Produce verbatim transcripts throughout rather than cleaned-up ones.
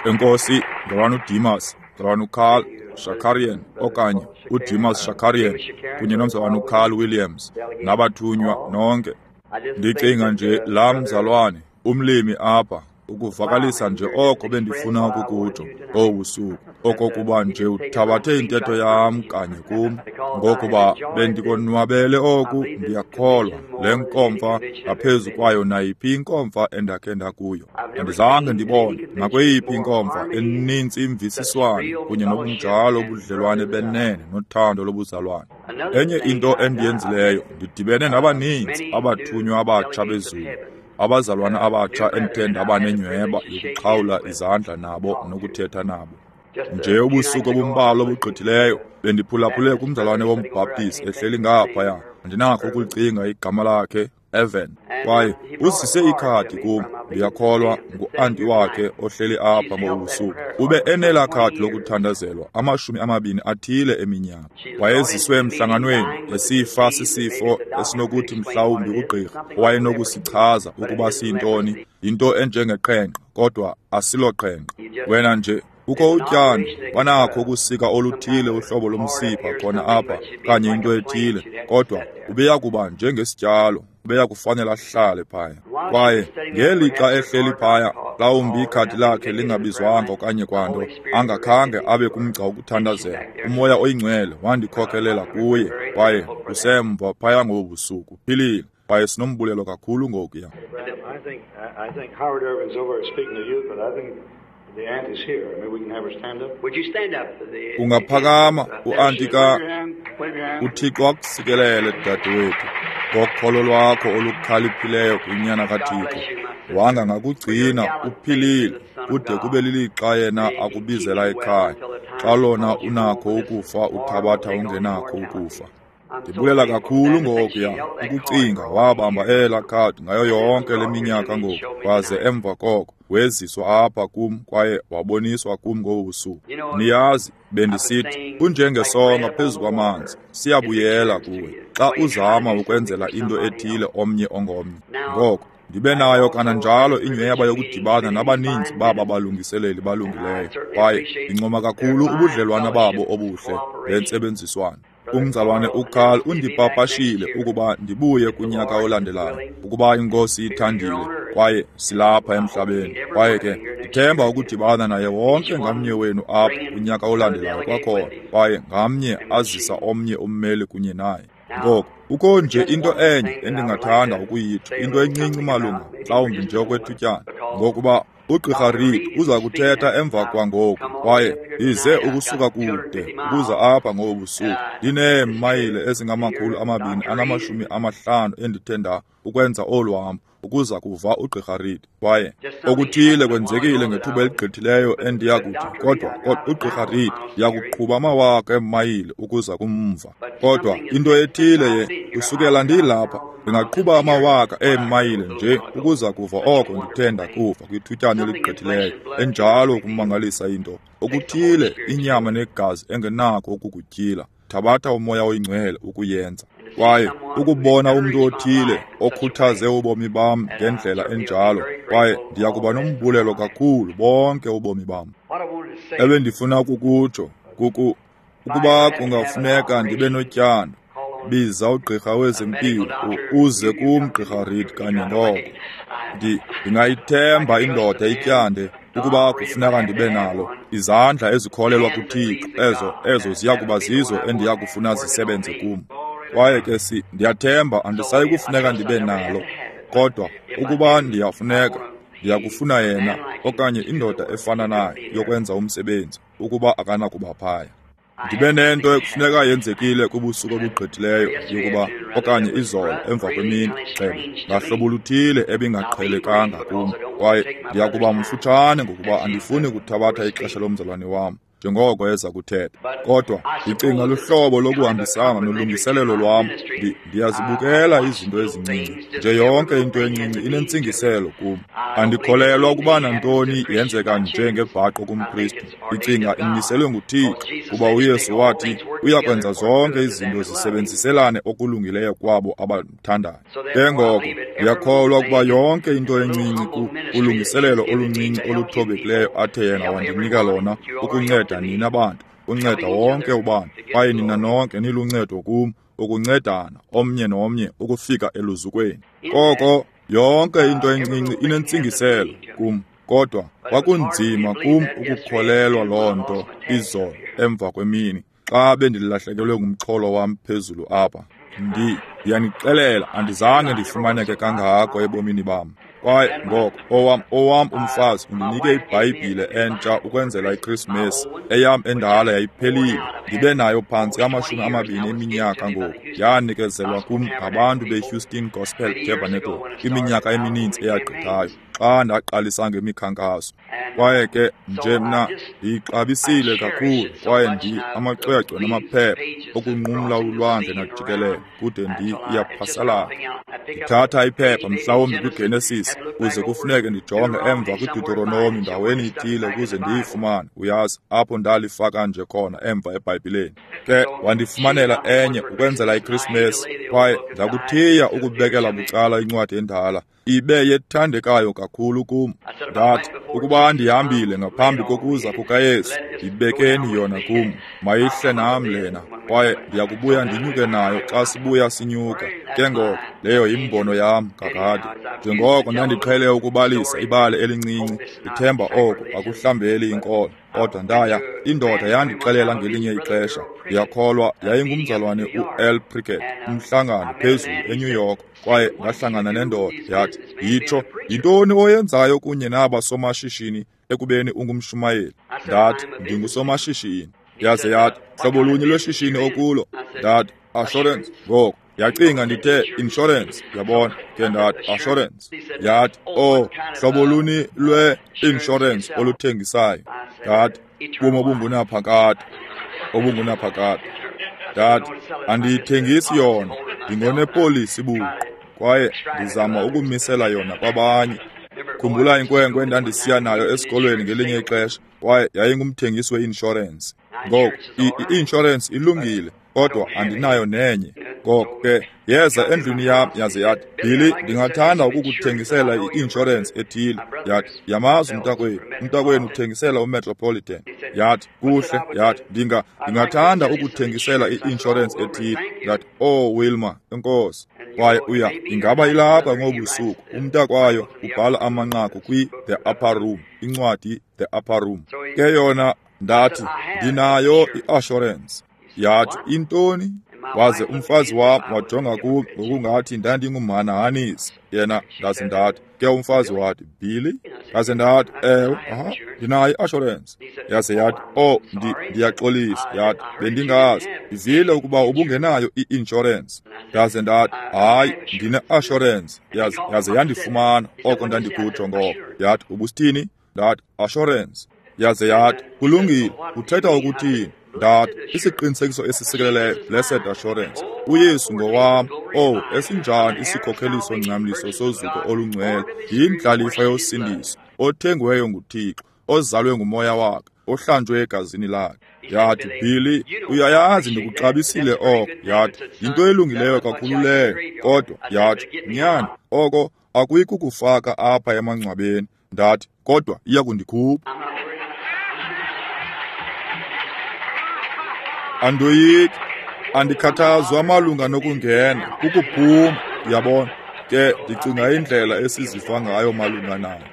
Enkosi, mzalwana uDimas, mzalwana uCarl Shakarian okanye uDimas Shakarian kunye nomzalwana uCarl Williams nabathunywa nonke. Ndicinga nje laa mzalwane umlimi apha ukuvakalisa nje oko bendifuna ukukutsho obusuku, okokuba nje uthabathe intetho yam kanye kum, ngokuba bendikonwabele oku. Ndiyakholwa le nkomfa ngaphezu kwayo nayiphi inkomfa endakhe ndakuyo. Andizange ndibone nakweyiphi inkomfa enintsi imvisiswano kunye nobunjalo obudlelwane benene nothando lobuzalwane. Enye into endiyenzileyo, ndidibene nabaninzi abathunywa abatsha bezulu, abazalwana abatsha endithe ndaba nenyhweba yokuxhawula izandla nabo nokuthetha nabo. Nje ubusuku obumbalwa obugqithileyo bendiphulaphule kumzalwane wombhaptizi ehleli ngaphaya, andinakho ukulicinga igama lakhe, Evan, kwaye uzise ikhadi kum, ndiyakholwa ngu-anti wakhe ohleli apha ngobusuku. Ube enelaa khadi lokuthandazelwa amashumi amabini athile eminyaka. Wayeziswe emhlanganweni esifa sisifo esinokuthi mhlawumbi ugqirha owayenokusichaza ukuba siyintoni, yinto enjengeqhenqa, kodwa asiloqhenqa. Wena nje kukho utyando, banakho ukusika oluthile uhlobo lomsipha khona apha kanye into ethile, kodwa ubeya kuba njengesityalo, ubeya kufanele ahlale phaya. Kwaye ngelixa ehleli phaya, mhlawumbi ikhadi lakhe lingabizwanga okanye kwanto, angakhange abe kumgca wokuthandazela, uMoya oyiNgcwele wandikhokelela kuye, kwaye usemva phaya ngobu busuku, uphilile, kwaye sinombulelo kakhulu ngokuya. I think, I think Howard Irvin's over speaking to you, but I think the aunt is here. Maybe we can have her stand up. Would you stand up? The, Ungaphakama uanti ka Wave your hand. Wave your hand. uThixo akusikelele dadewethu ngokholo lwakho olukhaliphileyo kwinyana kaThixo. Wanga ngakugcina uphilile kude kube lilixa yena akubizela ekhaya, xa lona unakho ukufa uthabatha ungenakho ukufa. Ndibulela kakhulu ngokuya ukucinga wabamba elaa khadi ngayo yonke le minyaka ngoku, waze emva koko weziswa apha kum kwaye waboniswa kum ngobu busuku. Niyazi, bendisithi kunjengesonka phezu kwamanzi, siyabuyela kuwe xa uzama ukwenzela into ethile omnye ongomnye. Ngoko ndibe nayo kananjalo inyweba yokudibana nabaninzi baba balungiseleli balungileyo, kwaye ndincoma kakhulu ubudlelwane babo obuhle bentsebenziswano. Umzalwane uCarl undipapashile ukuba ndibuye kunyaka olandelayo, ukuba iNkosi ithandile, kwaye silapha emhlabeni. Kwaye ke ndithemba ukudibana naye wonke ngamnye wenu apha kunyaka olandelayo kwakhona, kwaye ngamnye azisa omnye ummeli kunye naye. Ngoko kukho nje into enye endingathanda ukuyitsho, into encinci malunga mhlawumbi nje okwethutyana, ngokuba uGqirha Reed uza kuthetha emva kwangoku, kwaye ize ukusuka kude ukuza apha ngobu busuku. Ndineemayile ezingamakhulu amabini anamashumi amahlanu endithe nda ukwenza olu hambo ukuza kuva uGqirha Reed. Kwaye okuthile kwenzekile ngethuba eligqithileyo endiya kuthi, kodwa kodwa uGqirha Reed ndiyakuqhuba amawaka eemayile ukuza kumva. Kodwa into ethile ye kusukela ndilapha ndingaqhuba amawaka eemayile nje ukuza kuva oko ndithe ndakuva kwithutyana eligqithileyo. Enjalo ukumangalisa into okuthile inyama negazi engenako ukukutyhila, thabatha uMoya oyiNgcwele ukuyenza. Kwaye ukubona umntu othile okhuthaze ubomi bam ngendlela enjalo, kwaye ndiyakuba nombulelo kakhulu bonke ubomi bam. What I wanted to say, Ebendifuna ukukutsho kuku ukuba kungafuneka ndibe notyando, biza ugqirha wezempilo u- uze kum Gqirha Reed kanye ngoko. Ndi ndingayithemba indoda ityande ukuba kufuneka ndibe nalo. Izandla ezikholelwa kuThixo ezo ezo ziya kuba zizo endiya kufuna zisebenze kum. Kwaye ke si ndiyathemba andisayi kufuneka ndibe nalo, kodwa ukuba ndiyafuneka, ndiyakufuna yena okanye indoda efana naye yokwenza umsebenzi ukuba akanakuba phaya. Ndibe nento ekufuneka yenzekile kubusuku obugqithileyo yokuba okanye izolo emva kwemini, gxebe, ngahlobo luthile ebingaqhelekanga kum, kwaye ndiyakuba mfutshane ngokuba andifuni kuthabatha ixesha lomzalwane wam. njengoko eza kuthetha. Kodwa ndicinga luhlobo lokuhambisana nolungiselelo lwam. Ndiyazibukela izinto ezincinci. Nje yonke into encinci inentsingiselo kum. Andikholelwa ukuba nantoni yenzeka njengebhaqo kumKristu. Ndicinga imiselwe nguThixo, kuba uYesu wathi uyakwenza zonke izinto zisebenziselane okulungileyo kwabo abamthandayo. Ke ngoko ndiyakholwa ukuba yonke into encinci kulungiselelo oluncinci oluthobekileyo athe yena wandinika lona ukunceda nina bantu, unceda wonke ubani, kwaye nina nonke niluncedo kum, ukuncedana omnye nomnye ukufika eluzukweni. Koko yonke into encinci inentsingiselo kum, kodwa kwakunzima kum ukukholelwa loo nto izolo emva kwemini xa bendilahlekelwe ngumxholo wam phezulu apha. Ndi ndiyanixelela, andizange ndifumaneke kangako ebomini bam. Kwaye ngoko owam owam umfazi undinike iBhayibhile entsha ukwenzela iKrismesi. Eyam endala yayiphelile, ndibe nayo phantsi amashumi amabini eminyaka ngoku. Yanikezelwa kum ngabantu beHouston Gospel Tabernacle iminyaka emininzi eyagqithayo xa ndaqalisa ngemikhankaso. Kwaye ke nje mna ndiyixabisile kakhulu, kwaye ndi amacwecwe namaphepha okunqumla ulwandle najikelele kude ndi iyaphasalala. Ndithatha iphepha mhlawumbi kwiGenesis kuze kufuneke ndijonge emva kwiDeuteronomy ndaweni ithile ukuze ndiyifumane, uyazi, apho ndalifaka nje khona emva eBhayibhileni. Ke wandifumanela enye ukwenzela iKrismesi, kwaye ndakuthiya ukubekela bucala incwadi endala. Ibe yethandekayo kakhulu kum. Ndathi, ukuba ndihambile ngaphambi kokuza kukaYesu, ndibekeni yona kum, mayihle nam lena, kwaye ndiyakubuya ndinyuke nayo xa sibuya sinyuka. Ke ngoko leyo yimbono yam kakade. Njengoko ndandiqhele ukubalisa ibali elincinci, ndithemba oko akuhlambeli inkolo. Kodwa ndaya, indoda yandixelela ngelinye ixesha, ndiyakholwa yayingumzalwane u-L. Prickett, umhlangano phezulu eNew York, kwaye ndahlangana nendoda yathi, yitsho, yintoni oyenzayo kunye naba somashishini ekubeni ungumshumayeli? Ndathi, ndingusomashishini. Yaze yathi, hlobo lunye lweshishini okulo? Ndathi, assurance. Ngoko yacinga ndithe insurance, yabona. Ke ndathi assurance. Yathi, oh, hlobo luni lwe-insurance oluthengisayo? Ndathi, ubomi obungunaphakade, obungunaphakade. Ndathi, andiyithengisi yona, ndingonepolisi buqu, kwaye ndizama ukumisela yona kwabanye. Khumbula inkwenkwe endandisiya nayo esikolweni ngelinye ixesha, kwaye yayingumthengisi we-inshorensi. Ngoko i-inshorensi ilungile, kodwa andinayo nenye. Ngoko ke yeza endlwini yam yaze yathi, Billy, ndingathanda ukukuthengisela i-inshorensi ethile. Yathi, yamazi umntakwenu, umntakwenu uthengisela uMetropolitan. Yathi, kuhle. Yathi, ndinga ndingathanda ukuthengisela i-inshorensi ethile. Yathi, oh Wilma, enkosi. Kwaye uya, ingaba ilapha ngobusuku. Umntakwayo ubhala amanqaku kwi-The Upper Room, incwadi The Upper Room. Ke yona ndathi, ndinayo i-assurance. Yathi, intoni? Waze umfazi wam wajonga kum ngokungathi ndandingumhanahanisi. Yena ndaze ndathi, ke umfazi wathi, Billy? Ndaze ndathi, ewe, aha, ndinayo i-assurance. Yaze yathi, oh, ndi, ndiyaxolisa. Yathi, bendingazi, ndivile ukuba ubungenayo i-insurance. Ndaze ndathi, hayi, ndine-assurance. Yaze, yaze yandifumana oko ndandikutsho ngoko. Yathi, ubusithini? Ndathi, assurance. Yaze yathi, kulungile, uthetha ukuthini? Ndathi, isiqinisekiso esisikeleleyo, blessed assurance. uYesu ngowam. Oh, esinjani isikhokheliso ncamliso sozuko olungcwele, yindlalifa yosindiso, othengiweyo nguThixo, ozalwe ngumoya wakhe, ohlanjwe egazini lakhe. Yathi, Billy, uyayazi ndikuxabisile oko. Yathi, yinto elungileyo kakhulu leyo, kodwa yathi, nyana, oko akuyi kukufaka apha emangcwabeni. Ndathi, kodwa iya kundikhupha. Andoyiki, andikhathazwa malunga nokungena, kukuphuma, uyabona. Ke ndicinga indlela esiziva ngayo malunga nayo.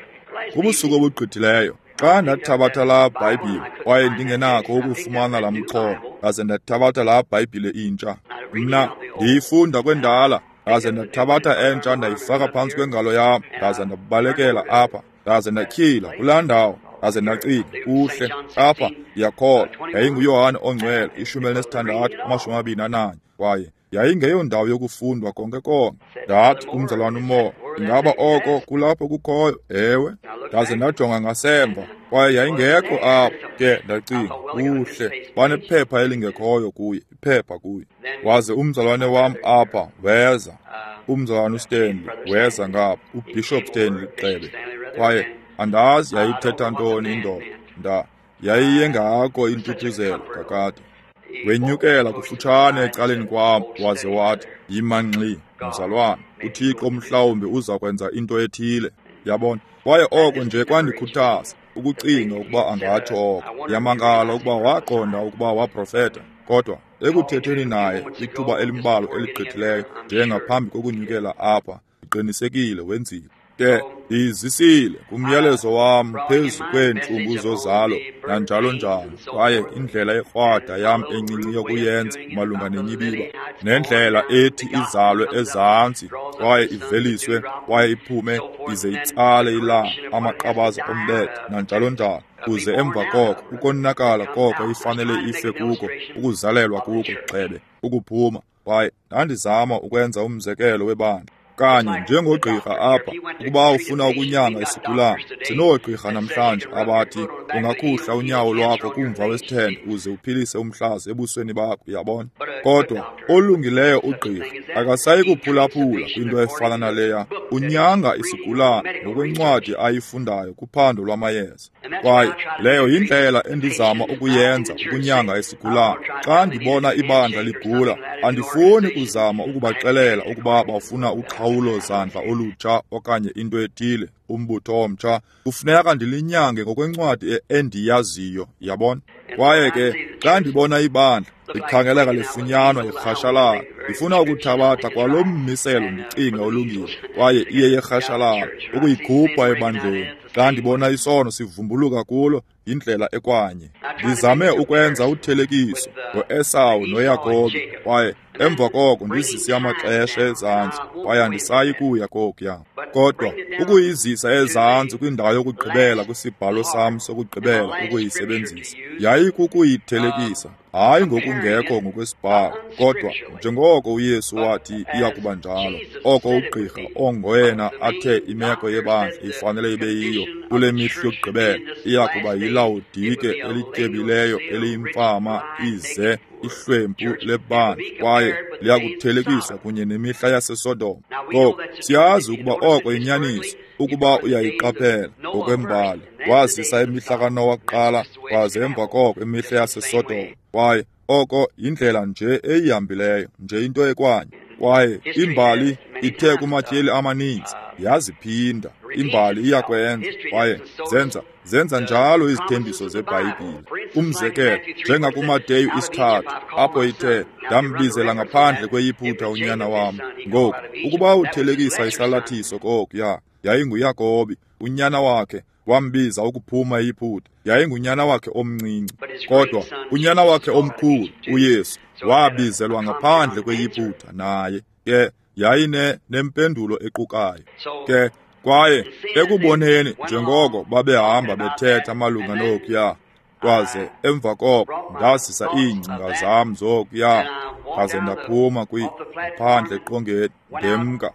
Kubusuku obugqithileyo, xa ndathabatha laa Bhayibhile, kwaye ndingenakho ukufumana laa mxholo, ndaze ndathabatha laa Bhayibhile intsha. Mna ndiyifunda kwendala, ndaze ndathabatha entsha ndayifaka phantsi kwengalo yam, ndaze ndabalekela apha, ndaze ndatyhila kulaa ndawo. Ndaze ndacinga, kuhle, apha ndiyakholwa yayinguYohane ongcwele, ishumi elinesithandathu, amashumi amabini ananye, kwaye yayingeyondawo yokufundwa konke konke. Ndathi kumzalwane uMoore, ingaba oko kulapho kukhoyo? Ewe. Ndaze ndajonga ngasemva, Kwaye yayingekho apho. Ke ndacinga, kuhle, banephepha elingekhoyo kuye, iphepha kuye. Waze umzalwane wam apha weza, umzalwane uStanley weza ngapha, uBishop Stanley Xebe. Kwaye andazi yayithetha ntoni indoda, nda yayiyengako intuthuzelo kakade. Wenyukela kufutshane ecaleni kwam, waze wathi, yima ngxi, mzalwane, uThixo mhlawumbi uza kwenza into ethile. Yabona? Kwaye oko nje kwandikhuthaza ukucinga ukuba angatsho oko. Yamangala ukuba waqonda ukuba waprofeta. Kodwa ekuthetheni naye ithuba elimbalwa eligqithileyo, njengaphambi kokunyukela apha, ndiqinisekile wenzile. Ke ndiyizisile kumyalezo wam phezu kweentlungu zozalo nanjalo njalo, kwaye indlela ekrwada yam encinci yokuyenza malunga nenyibiba, nendlela ethi izalwe ezantsi kwaye iveliswe kwaye iphume ize itsale ilanga, amaqabaza ombethe nanjalo njalo, kuze emva koko ukonakala koko ifanele ife kuko, ukuzalelwa kuko gxebe, ukuphuma. Kwaye ndandizama ukwenza umzekelo webandla. Kanye njengogqirha apha, ukuba ufuna ukunyanga isigulane, sinoogqirha namhlanje abathi ungakhuhla unyawo lwakho kumva wesithende uze uphilise umhlaza ebusweni bakho, uyabona. Kodwa olungileyo ugqirha akasayi kuphulaphula kwinto efana naleya. Unyanga isigulane ngokwencwadi ayifundayo kuphando lwamayeza. Kwaye leyo yindlela endizama ukuyenza ukunyanga isigulane. Xa ndibona ibandla ligula, andifuni kuzama ukubaxelela ukuba bafuna uqhawulo zandla olutsha okanye into ethile, umbutho omtsha. Kufuneka ndilinyange ngokwencwadi endiyaziyo, yabona. Kwaye ke xa ndibona ibandla likhangeleka lifunyanwa irhashalala, ndifuna ukuthabatha kwalo mmiselo ndicinga olungile, kwaye iye yerhashalala, ukuyikhupha ebandleni. Xa ndibona isono sivumbuluka kulo, yindlela ekwanye. Ndizame ukwenza uthelekiso ngoEsawu noYakobi, kwaye emva koko ndizise amaxesha ezantsi, kwaye andisayi kuya kokuya. Kodwa ukuyizisa ezantsi kwindawo yokugqibela kwisibhalo sam sokugqibela ukuyisebenzisa, yayikukuyithelekisa, hayi ngokungekho ngokwesibhalo, kodwa njengoko uYesu wathi iya kuba njalo, oko ugqirha ongoyena athe imeko yebandla ifanele ibe yiyo kule mihla yokugqibela, iya kuba yiLawodike elityebileyo eliyimfama ize ihlwempu lebandla, kwaye liyakuthelekiswa kunye nemihla yaseSodoma. Ngoku siyazi ukuba oko yinyaniso, ukuba uyayiqaphela ngokwembali. Wazisa imihla kaNowa kuqala, kwaze emva koko imihla yaseSodoma. Kwaye oko yindlela nje eyihambileyo, nje into ekwanye. Kwaye imbali ithe kumatyeli amaninzi yaziphinda. Imbali iyakwenza, kwaye zenza zenza njalo izithembiso zeBhayibhile. Umzekelo, njengakuMateyu isithathu, apho ithe, ndambizela ngaphandle kweYiphutha unyana wam. Ngoku, ukuba uthelekisa isalathiso kokuya, yayinguYakobi, unyana wakhe, wambiza ukuphuma eYiphutha. Yayingunyana wakhe omncinci, kodwa unyana wakhe omkhulu, uYesu, wabizelwa ngaphandle kweYiphutha naye. Ke yayine nempendulo equkayo. Ke kwaye ekuboneni njengoko babehamba bethetha malunga nokuya, kwaze emva koko ndazisa iingcinga zam zokuya, ndaze ndaphuma kwiphandle eqongeni ndemka.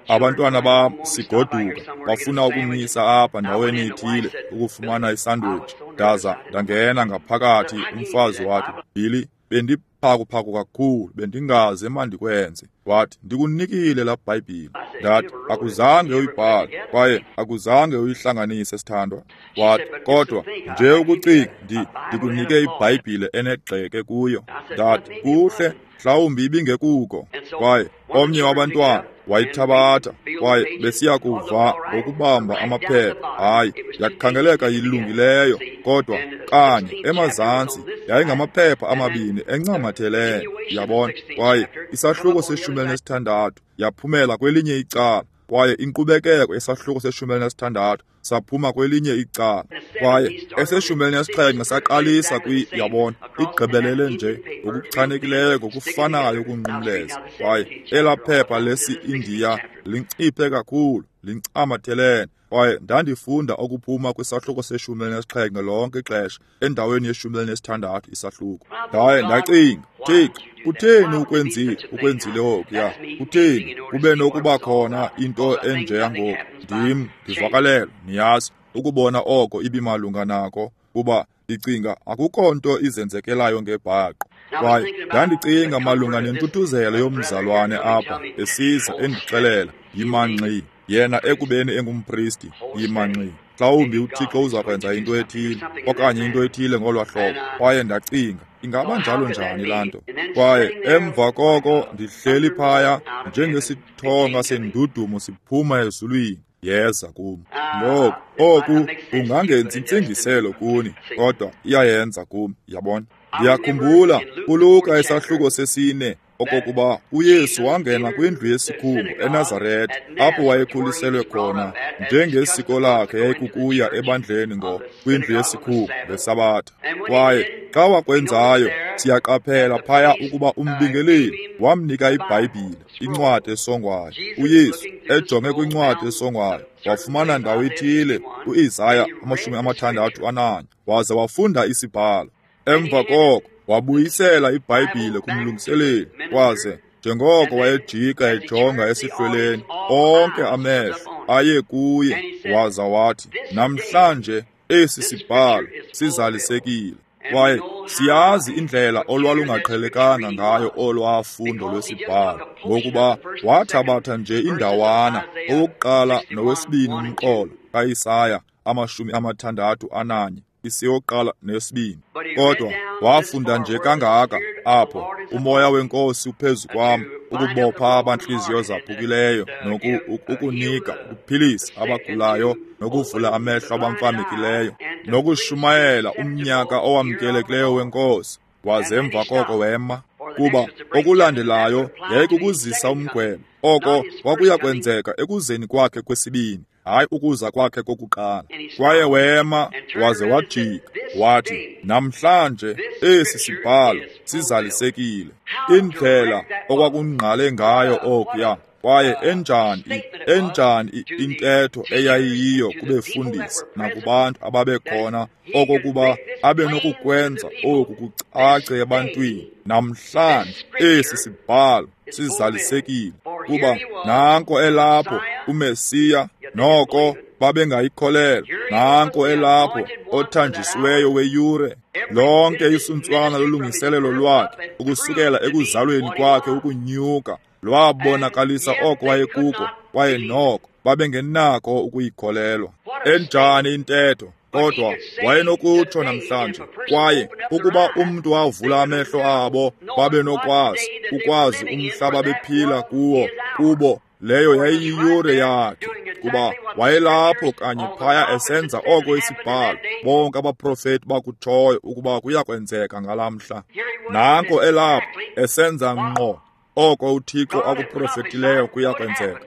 Abantwana bam sigoduka bafuna ukumisa apha ndaweni ithile ukufumana isandwich. Ndaza ndangena ngaphakathi, umfazi wathi, Billy, bendiphakuphaku kakhulu, bendingaze mandikwenze. Wathi, ndikunikile laa Bhayibhile. Ndathi, akuzange uyibhale kwaye akuzange uyihlanganise, sithandwa. Wathi, kodwa nje ukucinga, ndi ndikunike iBhayibhile enegxeke kuyo. Ndathi, kuhle, mhlawumbi ibingekuko. Kwaye omnye wabantwana wayithabatha, kwaye besiya kuva ngokubamba amaphepha. Hayi, yakhangeleka yilungileyo, kodwa kanye emazantsi yayingamaphepha amabini encamatheleyo, yabona. Kwaye isahluko seshumi elinesithandathu yaphumela kwelinye icala, kwaye inkqubekeko yesahluko seshumi elinesithandathu saphuma kwelinye icala, kwaye eseshumi elinesixhenxe saqalisa kwi, yabona, igqibelele nje ngokuchanekileyo ngokufanayo ukunqumleza. Kwaye elaa phepha lesi-Indiya linciphe kakhulu, lincamathelene. Kwaye ndandifunda okuphuma kwisahluko seshumi elinesixhenxe lonke ixesha endaweni yeshumi elinesithandathu isahluko. Ndaye ndacinga, Thixo, kutheni ukwenzile ukwenzile okuya? Kutheni kube nokuba khona into enjeya ngoku? Ndim ndivakalelwa, niyazi, ukubona oko ibimalunga nako, kuba ndicinga akukho nto izenzekelayo ngebhaqo. Kwaye ndandicinga malunga nentuthuzelo yomzalwane apha esiza endixelela, yimanxi, yena ekubeni engumpristi, yimanxi. Mhlawumbi uThixo uza kwenza into ethile okanye into ethile ngolwa hlobo. Kwaye ndacinga, ingaba njalo njani laa nto? Kwaye emva koko ndihleli phaya njengesithonga sendudumo siphuma ezulwini, yeza kum. Ngoku oku kungangenzi intsingiselo kuni, kodwa iyayenza kum, yabona. Ndiyakhumbula kuLuka isahluko sesine okokuba uYesu wangena kwindlu yesikhungu eNazaretha, apho wayekhuliselwe khona njengesiko lakhe yayikukuya ebandleni ngo kwindlu yesikhungu ngeSabatha. Kwaye xa wakwenzayo, siyaqaphela phaya ukuba umbingeleli wamnika iBhayibhile, incwadi esongwayo. uYesu ejonge kwincwadi esongwayo wafumana ndawo ithile uIsaya amashumi amathandathu ananye, waze wafunda isibhalo. Emva koko wabuyisela iBhayibhile kumlungiseleli, waze njengoko wayejika ejonga esihlweleni, onke amehlo aye kuye, waza wathi, namhlanje esi sibhalo sizalisekile. Kwaye siyazi indlela olwalungaqhelekanga ngayo olwafundo lwesibhalo, ngokuba wathabatha nje indawana owokuqala nowesibini umqolo kaIsaya amashumi amathandathu ananye, isiyokuqala nesibini. Kodwa wafunda nje kangaka apho, umoya wenkosi uphezu kwam ukubopha abantliziyo zaphukileyo, nokunika ukuphilisa abagulayo, nokuvula amehlo abamfamekileyo, nokushumayela umnyaka owamkelekileyo wenkosi. Waze emva koko wema, kuba okulandelayo yayikukuzisa umgwebo. Oko kwakuya kwenzeka ekuzeni kwakhe kwesibini, hayi ukuza kwakhe kokuqala. Kwaye wema waze wajika wathi, namhlanje esi sibhalo sizalisekile. Indlela okwakungqale ngayo okuya, kwaye enjani enjani intetho eyayiyiyo kubefundisi nakubantu ababekhona, okokuba abe nokukwenza oku kucace ebantwini, namhlanje esi sibhalo sizalisekile. Kuba nanko elapho uMesiya, noko babengayikholelwa. Nanko elapho othanjisiweyo weyure. Lonke isuntswana lolungiselelo lwakhe ukusukela ekuzalweni kwakhe ukunyuka lwabonakalisa oko wayekuko, kwaye noko babengenako ukuyikholelwa. Enjani intetho! Kodwa wayenokutsho namhlanje, kwaye ukuba umntu wavula amehlo abo babenokwazi ukwazi umhla babephila kuwo, kubo leyo yayiyiyure yakhe, kuba wayelapho kanye phaya esenza oko isibhalo bonke abaprofeti bakutshoyo ukuba kuya kwenzeka ngalaa mhla. Nanko elapho esenza ngqo oko uThixo akuprofetileyo kuya kwenzeka.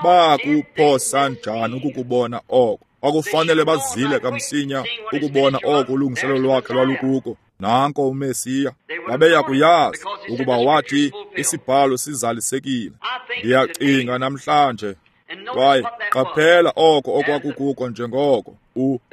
Bakuphosa njani ukukubona oko? Kwakufanele bazile kamsinya ukubona oko ulungiselelo lwakhe lwalukuko. Nanko uMesiya. Babeya kuyazi ukuba wathi isibhalo sizalisekile. Ndiyacinga namhlanje. Kwaye qaphela oko okwakukuko njengoko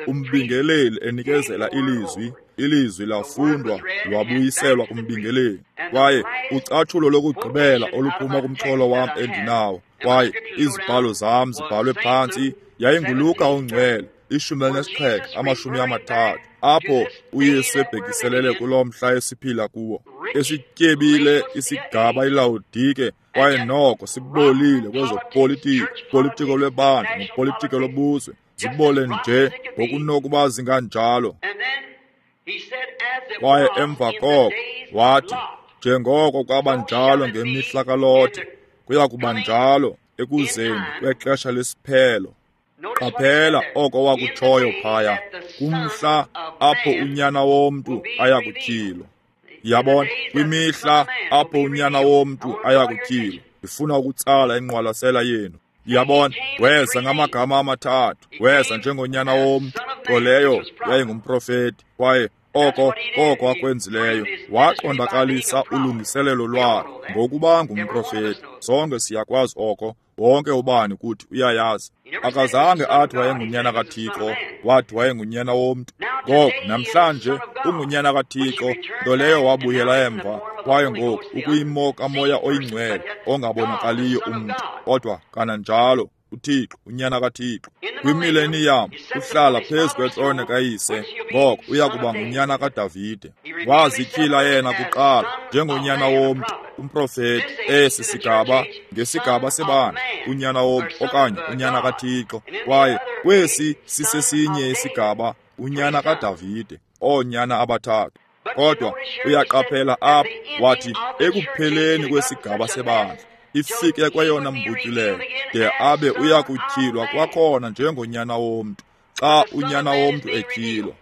umbingeleli enikezela ilizwi, ilizwi lafundwa lwabuyiselwa kumbingeleli. Kwaye ucatshulo lokugqibela oluphuma kumxholo wam endinawo, kwaye izibhalo zam zibhalwe phantsi, yayinguLuka ongcwele ishumi elinesixhenxe amashumi amathathu, apho uYesu ebhekiselele kulo mhla esiphila kuwo. Esityebile isigaba iLawodike, kwaye noko sibolile kwezopolitiko, politiko lwebandla nopolitiko lobuzwe, zibole nje ngokunokuba zinganjalo. Kwaye emva koko wathi, njengoko kwaba njalo ngemihla kaLothe, kuya kuba njalo ekuzeni kwexesha lesiphelo. Qaphela oko wakutshoyo phaya, kumhla apho unyana womntu aya kutyhilwa. Yabona, kwimihla apho unyana womntu aya kutyhilwa. Ndifuna ukutsala ingqwalasela yenu. Yabona, weza ngamagama amathathu, weza njengonyana womntu, nto leyo yayingumprofeti, kwaye oko koko akwenzileyo, waqondakalisa ulungiselelo lwakhe ngokuba ngumprofeti. Sonke siyakwazi oko, wonke ubani kuthi uyayazi. Akazange athi wayengunyana kaThixo, wathi wayengunyana womntu. Ngoku namhlanje ungunyana kaThixo, nto leyo wabuyela emva, kwaye ngoku ukuyimo kaMoya oyiNgcwele ongabonakaliyo umntu, kodwa kananjalo uThixo, uNyana kaThixo. Kwimileniyam uhlala phezu kwetrone kayise, ngoko uya kuba ngunyana kaDavide. Wazityhila yena kuqala njengonyana womntu, umprofeti. Esi sigaba ngesigaba sebandla, unyana womntu okanye unyana kaThixo. Kwaye kwesi sisesinye isigaba, unyana kaDavide, oonyana abathathu. Kodwa uyaqaphela apha, wathi ekupheleni kwesigaba sebandla ifike kweyona mbutyulelo, de abe uya kutyhilwa kwakhona njengonyana womntu, xa unyana womntu etyhilwa.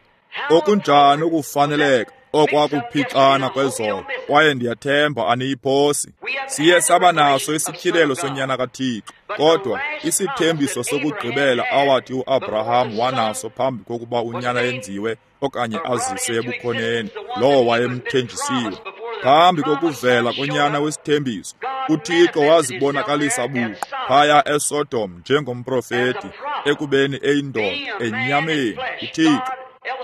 Okunjani ukufaneleka okwakuphixana kwezolo, kwaye ndiyathemba aniyiphosi. Siye saba naso isityhilelo sonyana kaThixo, kodwa isithembiso sokugqibela awathi uAbraham wanaso phambi kokuba unyana yenziwe okanye aziswe ebukhoneni, lowo wayemthenjisiwe. Phambi kokuvela konyana wesithembiso, uThixo wazibonakalisa buqu phaya eSodom njengomprofeti, ekubeni eyindoda enyameni, uThixo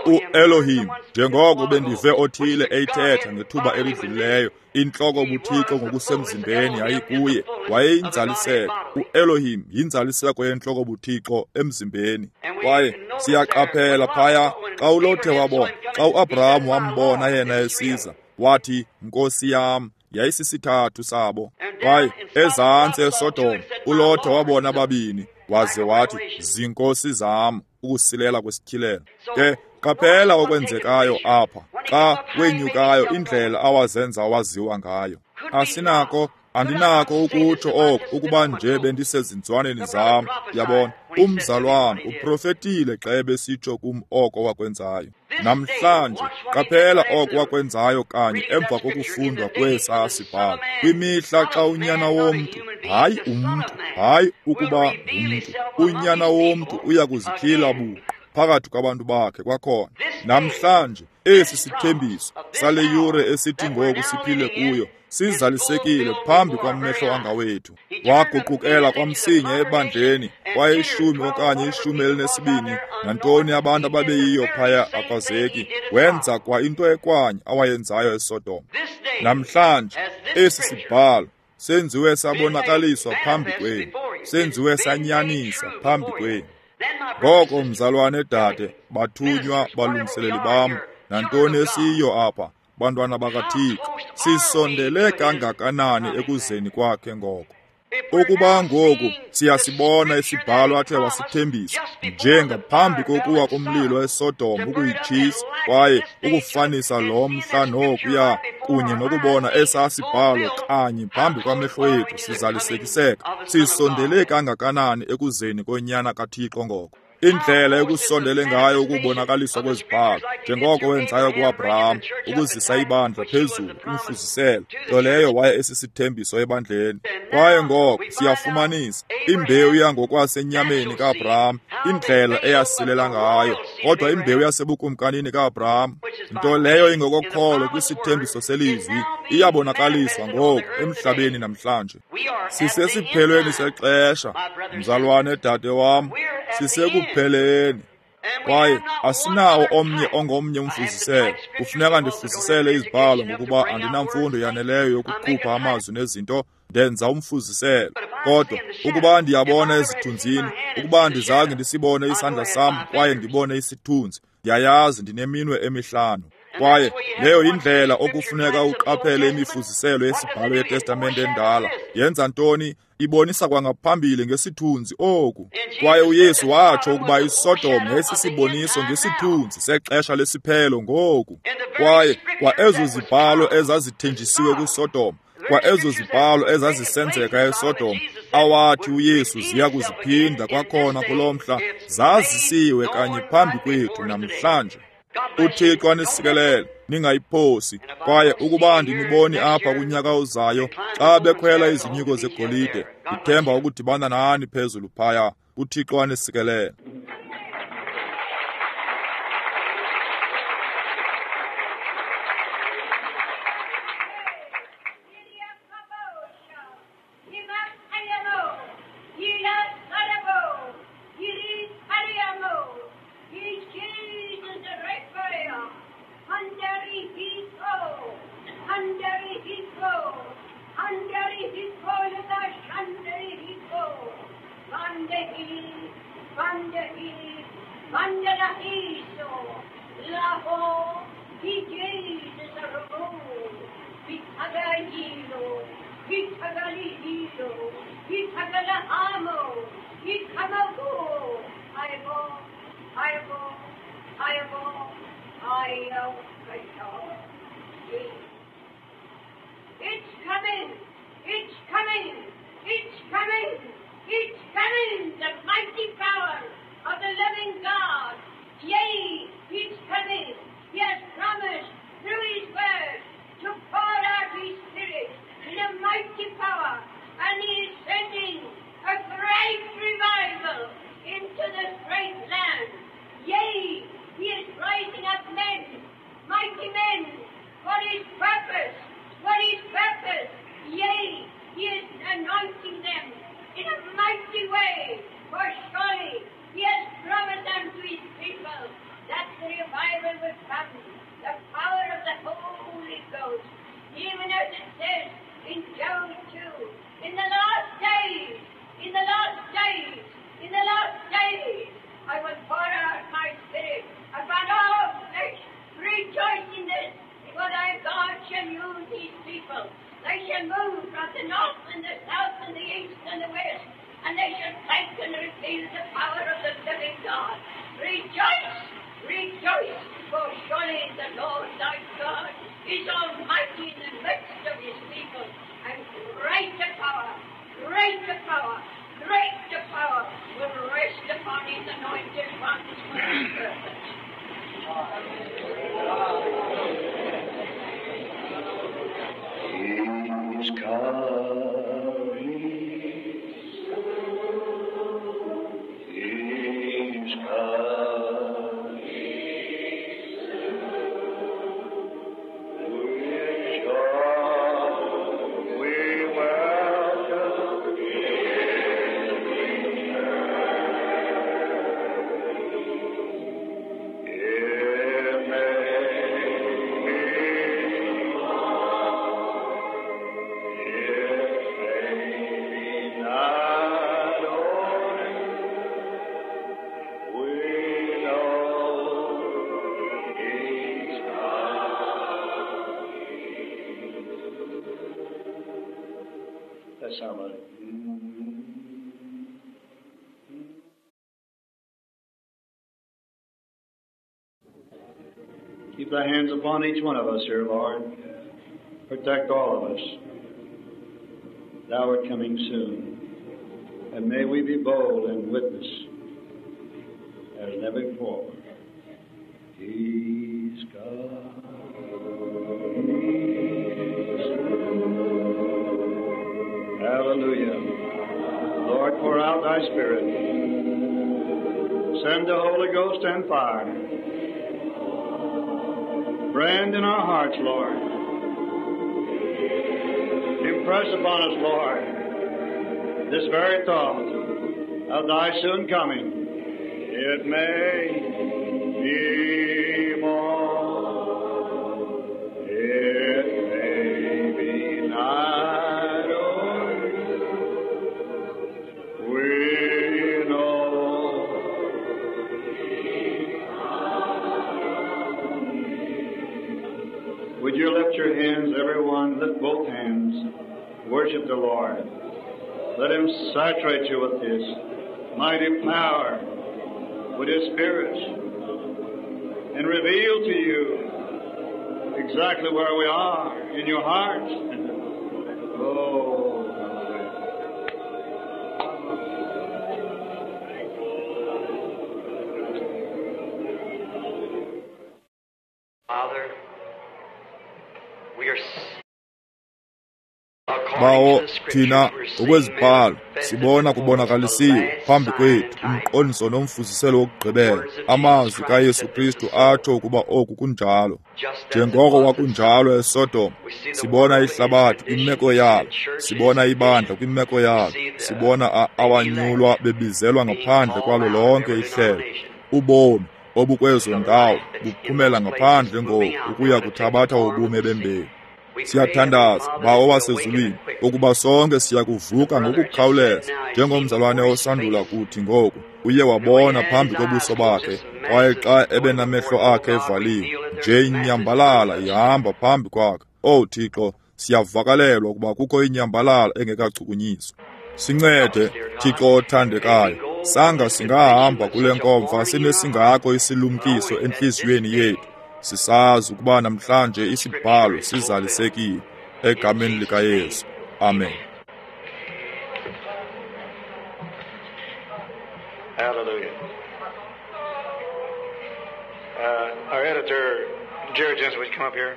uElohim, njengoko bendive othile eyithetha ngethuba elidlulileyo, intloko buThixo ngokusemzimbeni yayikuye, wayeyinzaliseko. uElohim yinzaliseko yentloko buThixo emzimbeni. Kwaye siyaqaphela phaya xa uLothe wabona, xa uAbraham wambona yena esiza, wathi, Nkosi yam. Yayisisithathu sabo. Kwaye ezantsi eSodom uLothe wabona ababini, waze wathi, zinkosi zam, ukusilela kwesityhilelo. Ke qaphela okwenzekayo apha xa wenyukayo, indlela awazenza waziwa ngayo. Asinako, andinako ukutsho oku ukuba nje bendisezinzwaneni zam. Yabona, umzalwane uprofetile xa ebesitsho kum oko wakwenzayo. Namhlanje qaphela oko wakwenzayo kanye emva kokufundwa kwesaa sibhalo. Kwimihla xa unyana womntu, hayi umntu, hayi ukuba ngumntu, unyana womntu uya kuzityhila buqu phakathi kwabantu bakhe kwakhona. Namhlanje esi sithembiso sale yure esithi ngoku siphile kuyo sizalisekile phambi kwamehlo angawethu. Waguqukela kwamsinya ebandleni, kwaye ishumi okanye ishumi elinesibini, nantoni abantu ababeyiyo phaya akwazeki, wenza kwa into ekwanye awayenzayo eSodom. Namhlanje esi sibhalo senziwe sabonakaliswa phambi kwenu, senziwe sanyanisa phambi kwenu. Ngoko mzalwane dade, bathunywa balungiseleli bam, nantoni esiyo apha, bantwana bakaThixo, sisondele kangakanani ekuzeni kwakhe ngoko. Ukuba ngoku siyasibona isibhalo athe wasithembisa njengaphambi kokuwa komlilo eSodom ukuyitshisa, kwaye ukufanisa lo mhla nokuya kunye nokubona esaa sibhalo kanye phambi kwamehlo ethu sizalisekiseka, sisondele kangakanani ekuzeni konyana kaThixo ngoko. Indlela ekusondele ngayo ukubonakaliswa kwezibhalo, njengoko wenzayo kuAbraham, ukuzisa ibandla phezulu, umfuziselo, nto leyo waye esisithembiso ebandleni. Kwaye ngoko siyafumanisa imbewu yangokwasenyameni kaAbraham, indlela eyasilela ngayo, kodwa imbewu yasebukumkanini kaAbraham, nto leyo ingokokholo kwisithembiso selizwi, iyabonakaliswa ngoku emhlabeni namhlanje. Sisesiphelweni sexesha, mzalwane dade wam, sisekupheleni. Kwaye asinawo omnye ongomnye umfuziselo. Kufuneka ndifuzisele izibhalo ngokuba andinamfundo yaneleyo yokukhupha amazwi nezinto, ndenza umfuziselo. Kodwa ukuba ndiyabona ezithunzini, ukuba andizange ndisibone isandla sam kwaye ndibone isithunzi, ndiyayazi ndineminwe emihlanu. Kwaye leyo yindlela okufuneka uqaphele imifuziselo yesibhalo yeTestamente endala. Yenza ntoni? Ibonisa kwangaphambili ngesithunzi oku. Kwaye uYesu watsho ukuba iSodom yayisisiboniso ngesithunzi sexesha lesiphelo ngoku. Kwaye kwa ezo zibhalo ezazithenjisiwe kwiSodom, kwa ezo zibhalo ezazisenzeka eSodom, awathi uYesu ziya kuziphinda kwakhona kulo mhla, zazisiwe kanye phambi kwethu namhlanje. uThixo anisikelele, ningayiphosi. Kwaye ukuba andiniboni apha kunyaka ozayo xa bekhwela izinyuko zegolide, ndithemba ukudibana nani phezulu phaya. uThixo anisikelele. Under It's coming! It's coming! It's coming! It's coming! The mighty power of the living God! Yea, it's coming! He has promised through His word to pour out His Spirit in a mighty power, and He is sending a great revival into this great land. Yea, He is rising up men, mighty men, for His purpose. For His purpose, yea, He is anointing them in a mighty way, for surely He has promised unto His people that the revival will come, the power of the Holy Ghost, even as it says in Joel two, in the last days, in the last days, in the last days, I will pour out my Spirit upon all flesh. Rejoice in this, for thy God shall use these people. They shall move from the north and the south and the east and the west, and they shall take and reveal the power of the living God. Rejoice, rejoice, for surely the Lord thy God is almighty in the midst of His people, and greater power, greater power, greater power will rest upon His anointed ones for His purpose. He's coming. He's coming. With joy we welcome His return. It may be Keep thy hands upon each one of us here, Lord. Protect all of us. Thou art coming soon. And may we be bold and witness as never before. He's coming soon. Hallelujah. Lord, pour out thy Spirit. Send the Holy Ghost and fire. Brand in our hearts, Lord. Impress upon us, Lord, this very thought of thy soon coming. It may be more, it may be night or we know. Would you lift your hands, everyone? Lift both hands. Worship the Lord. Let Him saturate you with His mighty power, with His Spirit, and reveal to you exactly where we are in your heart. Oh. Father, we are Bawo thina ngokwezibhalo sibona kubonakalisiwe phambi kwethu umqondiso nomfuziselo wokugqibela, amazwi kaYesu Kristu atsho ukuba oku kunjalo. Njengoko kwakunjalo eSodom, sibona ihlabathi kwimeko yalo, sibona ibandla kwimeko yalo, sibona awanyulwa bebizelwa ngaphandle kwalo lonke ihlelo. Ubomi obukwezo ndawo buphumela ngaphandle ngoku ukuya kuthabatha ubume bembewu. Siyathandaza, Bawo wasezulwini, ukuba sonke siya kuvuka ngokukhawuleza, njengomzalwane osandula kuthi ngoku uye wabona phambi kobuso bakhe Kwaye xa ebenamehlo akhe evaliwe, nje inyambalala ihamba phambi kwakhe. Owu Thixo, siyavakalelwa ukuba kukho inyambalala engekachukunyiswa. Sincede, Thixo othandekayo, sanga singahamba kule nkomfa sinesingako isilumkiso entliziyweni yethu, sisazi ukuba namhlanje isibhalo sizalisekile. Egameni likaYesu, amen. Hallelujah. Uh, our editor, Jerry Jensen, would you come up here?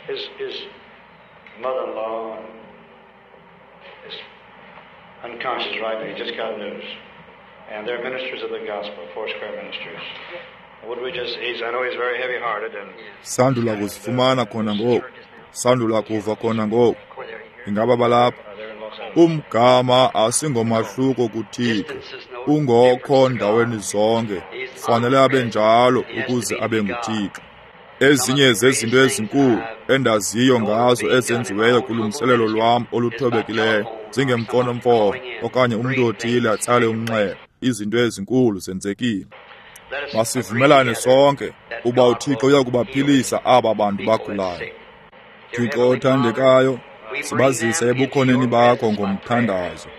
His, his mother-in-law is unconscious right now. He just got news. And they're ministers of the gospel, Foursquare Ministers. Would we just, he's, I know he's very heavy-hearted. And Sandula kuzifumana khona ngoku. Sandula kuva khona ngoku. Ingaba balapha? Umgama asingomahluko kuThixo, ungokho ndaweni zonke, fanele abe njalo ukuze abe nguThixo. Ezinye zezinto ezinkulu endaziyo ngazo ezenziweyo kulungiselelo lwam oluthobekileyo zingemfonomfono okanye umntu othile atsale umnxeba. Izinto ezinkulu zenzekile. Masivumelane sonke uba uThixo uyakubaphilisa aba bantu bagulayo. Thixo othandekayo, sibazise ebukhoneni bakho ngomthandazo.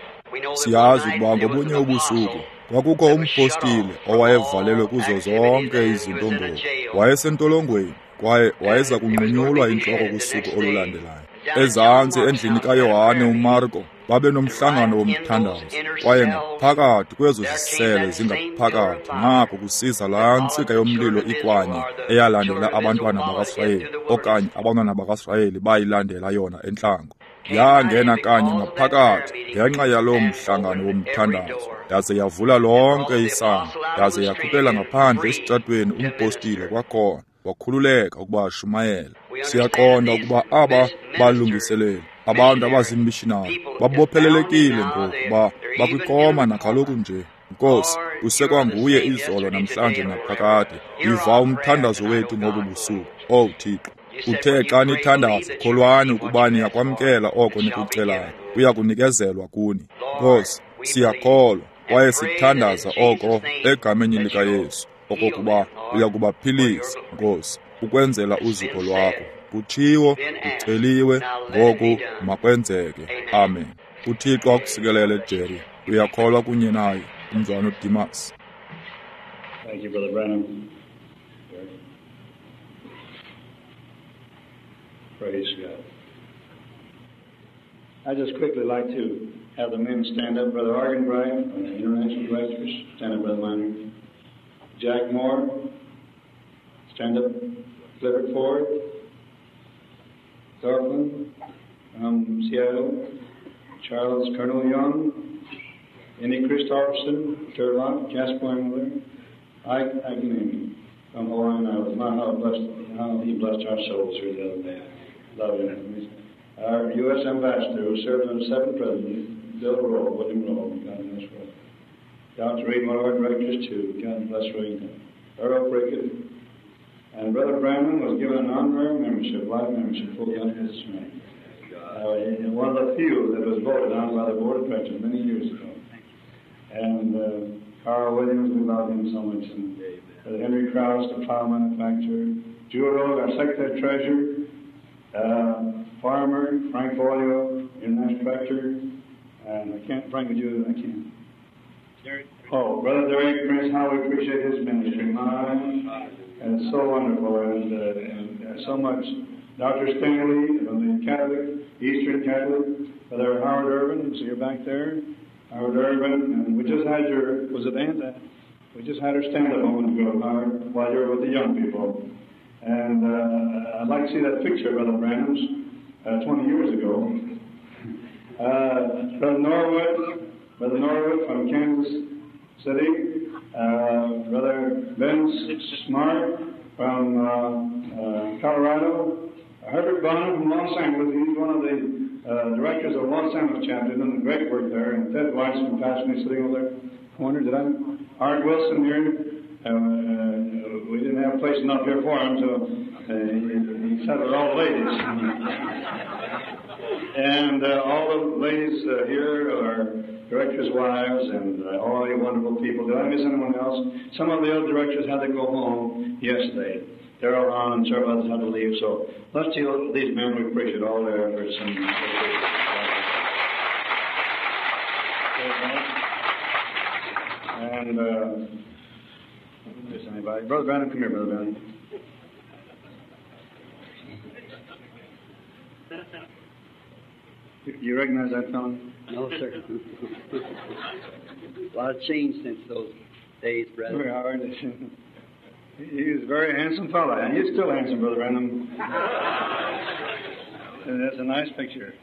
Siyazi ukuba ngobunye ubusuku kwakukho umpostile owayevalelwe kuzo zonke izinto ngoku. Wayesentolongweni kwaye wayeza kunqunyulwa intloko kusuku olulandelayo. Ezantsi endlini kaYohane uMarko babe nomhlangano womthandazo, kwaye ngaphakathi kwezo zisele zingaphakathi nako kusiza laa ntsika yomlilo ikwanye eyalandela abantwana bakaSirayeli, okanye abantwana bakaSirayeli bayilandela yona entlango. Yangena kanye ngaphakathi ngenxa yaloo mhlangano womthandazo, yaze yavula lonke isango, yaze yakhuphela ngaphandle esitratweni umpostile kwakhona, wakhululeka ukuba ashumayele. Siyaqonda ukuba aba balungiseleli, abantu abazimishinari, babophelelekile ngokuba bakwikoma nakaloku nje. Nkosi, usekwanguye izolo namhlanje naphakade. Yiva umthandazo wethu ngobu busuku. Owu Thixo, uthe xa nithandaza, kholwani ukuba niyakwamkela oko nikucelayo, kuya kunikezelwa kuni. Nkosi, siyakholwa kwaye sithandaza oko egameni likaYesu, okokuba uya kubaphilisa, Nkosi, ukwenzela uzuko lwakho. Kutshiwo, kuceliwe, ngoku makwenzeke. Amen. UThixo akusikelele, Jerry. Uyakholwa kunye naye, umzwana uDimas. Thank you, Brother Branham. Praise God. I just quickly like to have the men stand up. Brother Arganbright, the International Directors, stand up, Brother Miner. Jack Moore, stand up. Clifford Ford, Thorpland from Seattle, Charles Colonel Young, Andy Christofferson, Turlock, Jasper Miller, Ike Agnemi from Hawaiian Islands. My, how, blessed, how he blessed our souls here the other day. Love him. Our U S Ambassador, who served under seven presidents, Bill Rowe, William Rowe, God bless Rowe. Doctor Reed, one of our directors, too. God bless Reed. Earl Prickett. And Brother Branham was given an honorary membership, life membership, full under his name. Uh, one of the few that was voted on by the board of directors many years ago. And uh, Carl Williams, we love him so much. And Brother Henry Krause, the plow manufacturer. Jewel Rose, our secretary treasurer. Uh, Farmer, Frank Boyle, international director. And I can't, Frank, would you, I can't. Oh, Brother Derek Prince, how we appreciate his ministry. My, and it's so wonderful, and, uh, and uh, so much. Doctor Stanley from the Catholic, Eastern Catholic, Brother Howard Irvin, so you're back there. Howard Irvin, and we just had your, was it Aunt? We just had her stand up a moment ago, Howard, while you were with the young people. And uh, I'd like to see that picture, Brother Branham's, uh, twenty years ago. Uh, Brother Norwood, Brother Norwood from Kansas City, uh, Brother Ben Smart from uh, uh, Colorado, Herbert Bonner from Los Angeles, he's one of the uh, directors of Los Angeles chapter, doing great work there, and Ted Weiss from Pasadena sitting over there. Corner, did I? Art Wilson here. Uh, uh, we didn't have have place enough here for him, so uh, he, he sat with all the ladies. And uh, all the ladies uh, here are directors' wives and uh, all you wonderful people. Did I miss anyone else? Some of the other directors had to go home yesterday. Darrell Hahn and several others had to leave. So let's see these men. We appreciate all their efforts. And, and uh, miss anybody? Brother Branham, come here, Brother Branham. You recognize that fellow? No, sir. A lot of change since those days, brother. Very hard. He was a very handsome fellow, and he's still handsome, Brother Branham. And that's a nice picture.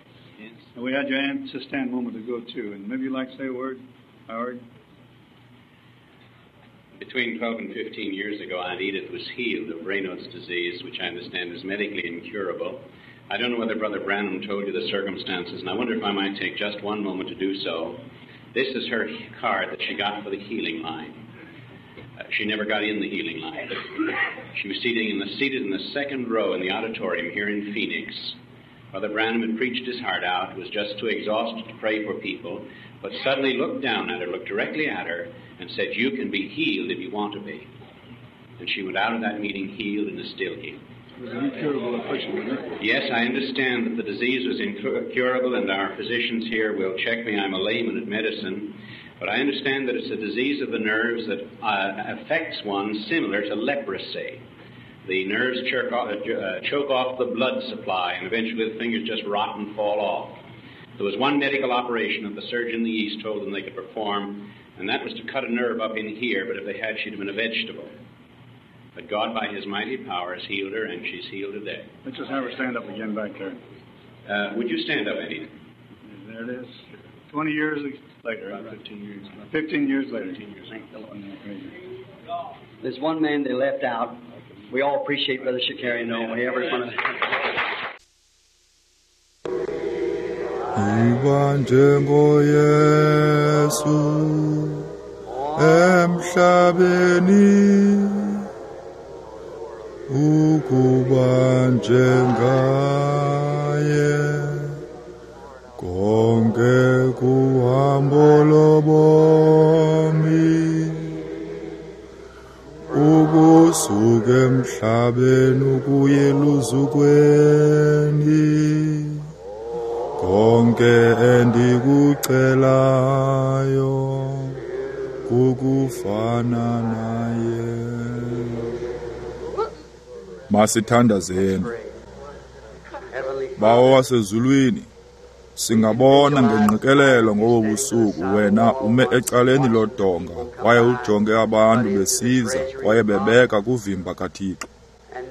Yes. And we had your aunt to stand a moment ago, too. And maybe you'd like to say a word, Howard? Between twelve and fifteen years ago, Aunt Edith was healed of Raynaud's disease, which I understand is medically incurable. I don't know whether Brother Branham told you the circumstances, and I wonder if I might take just one moment to do so. This is her card that she got for the healing line. Uh, she never got in the healing line. She was seated in the, seated in the second row in the auditorium here in Phoenix. Brother Branham had preached his heart out, was just too exhausted to pray for people, but suddenly looked down at her, looked directly at her, and said, "You can be healed if you want to be." And she went out of that meeting healed and is still healed. It was an incurable affliction, wasn't it? Yes, I understand that the disease was incurable, and our physicians here will check me. I'm a layman at medicine. But I understand that it's a disease of the nerves that uh, affects one similar to leprosy. The nerves choke off, uh, choke off the blood supply, and eventually the fingers just rot and fall off. There was one medical operation that the surgeon in the East told them they could perform, and that was to cut a nerve up in here, but if they had, she'd have been a vegetable. But God, by His mighty power, has healed her, and she's healed today. Let's just have her stand up again back there. Uh, would you stand up, Eddie? There it is. Twenty years later. About fifteen years. Fifteen years later. Fifteen years. Thank the Lord. There's one man they left out. We all appreciate Brother Shakarian, don't we? Everyone. Iba njengoYesu emhlabeni, ukuba njengaye konke kuhambo lobomi, ukusuka emhlabeni ukuya eluzukweni, konke endikucelayo kukufana naye. Masithandazeni. Bawo wasezulwini, singabona ngengqikelelo ngobo busuku wena ume ecaleni lodonga kwaye ujonge abantu besiza kwaye bebeka kuvimba kaThixo.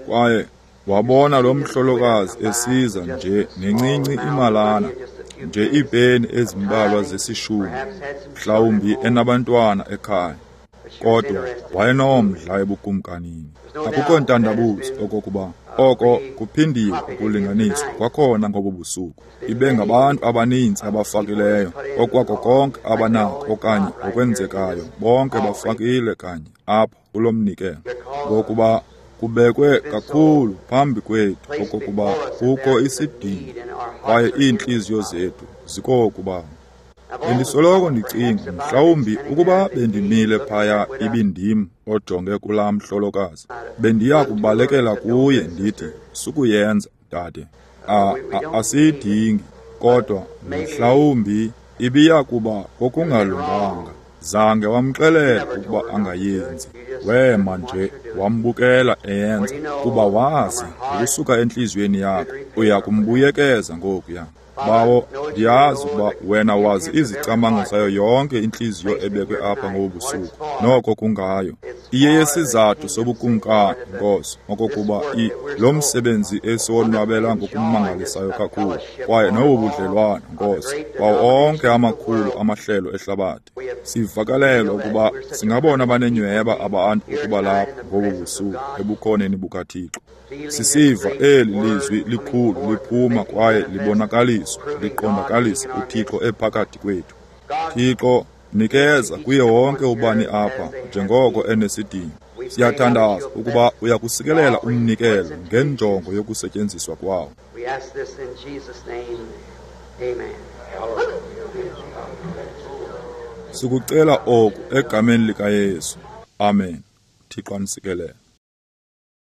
Kwaye wabona lo mhlolokazi esiza nje nencinci imalana, nje iipeni ezimbalwa zesishumi, mhlawumbi enabantwana ekhaya, kodwa wayenomdla ebukumkanini. Akukho ntandabuzo okokuba oko kuphindiwe ukulinganiswa kwakhona ngobo busuku. Ibe ngabantu abaninzi abafakileyo okwako konke abanako okanye okwenzekayo, bonke bafakile kanye apha kulo mnikelo, ngokuba kubekwe kakhulu phambi kwethu okokuba kukho isidingo kwaye iintliziyo zethu zikokuba. Bendisoloko ndicinga mhlawumbi ukuba bendimile phaya ibindim ojonge kulaa mhlolokazi, bendiya kubalekela kuye ndithi, sukuyenza dade, asiyidingi, kodwa mhlawumbi ibiya kuba kokungalunganga. Zange wamxelela ukuba angayenzi, wema nje wambukela eyenza, kuba wazi ngokusuka entliziyweni yakho uya kumbuyekeza ngokuya. Bawo, ndiyazi ukuba wena wazi izicamango zayo yonke intliziyo ebekwe apha ngobu busuku, noko kungayo. Iye yesizathu sobukumkani, Nkosi, okokuba i lo msebenzi esiwonwabela ngokumangalisayo kakhulu, kwaye nobu budlelwane, Nkosi, kwawo onke amakhulu amahlelo ehlabathi. Sivakalelwa ukuba singabona banenyhweba abantu ukuba lapha ngobu busuku ebukhoneni bukaThixo. Sisiva eli lizwi likhulu liphuma kwaye libonakaliswa, liqondakalisa uThixo ephakathi kwethu. Thixo, nikeza kuye wonke ubani apha njengoko enesidingo. Siyathandaza ukuba uyakusikelela umnikelo ngenjongo yokusetyenziswa kwawo. We ask this in Jesus' name. Amen. Sikucela oku egameni likaYesu. Amen. Thixo anisikelele.